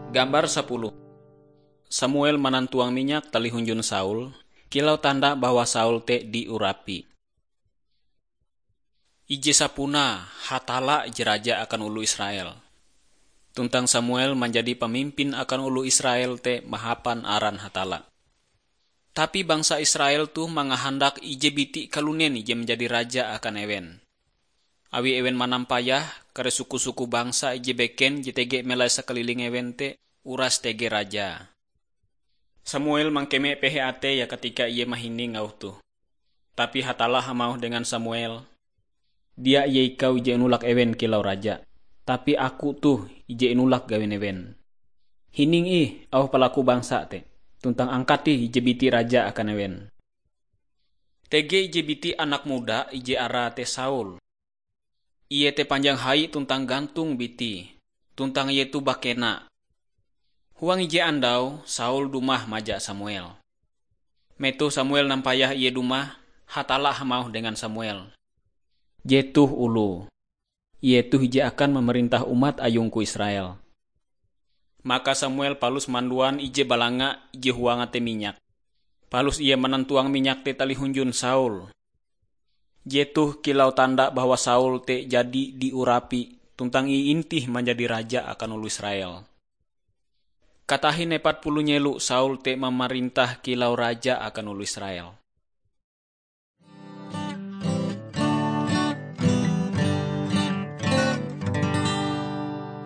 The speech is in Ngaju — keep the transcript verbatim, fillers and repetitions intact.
Gambar sapuluh. Samuel manantuang minyak talih hunjun Saul, kilau tanda bahwa Saul te diurapi. Ije sapunae Hatalla ije raja akan oloh Israel. Tuntang Samuel manjadi pamimpin akan oloh Israel te mahapan aran Hatalla. Tapi bangsa Israel toh mangahandak ije biti kalunen ije manjadi raja akan ewen. Awi ewen manampayah kare suku-suku bangsa ije beken je tege melai sakaliling ewen te uras tege raja. Samuel mangkeme pehe ateie katika ie mahining auh toh. Tapi Hatalla hamauh dengan Samuel, "Dia ie ikau ije inulak ewen kilau raja, tapi aku toh ije inulak gawin ewen. Hining ih auh palaku bangsa te, tuntang angkat ih ije biti raja akan ewen." Tege ije biti anak muda ije arae te Saul. Ie te panjang hai tuntang gantong biti, tuntang ie toh bakena. Huang ije andau Saul dumah maja Samuel. Metoh Samuel nampayah ie dumah, Hatalla hamauh dengan Samuel, "Jetoh oloh. Ie toh ije akan mamarintah umat ayungku Israel." Maka Samuel palus manduan ije balanga ije huang atei minyak. Palus ie manantuang minyak te talih hunjun Saul. Jetoh kilau tanda bahwa Saul te jadi diurapi tuntang iintih manjadi raja akan oloh Israel. Katahin epat puluh nyelo Saul te mamarintah kilau raja akan oloh Israel.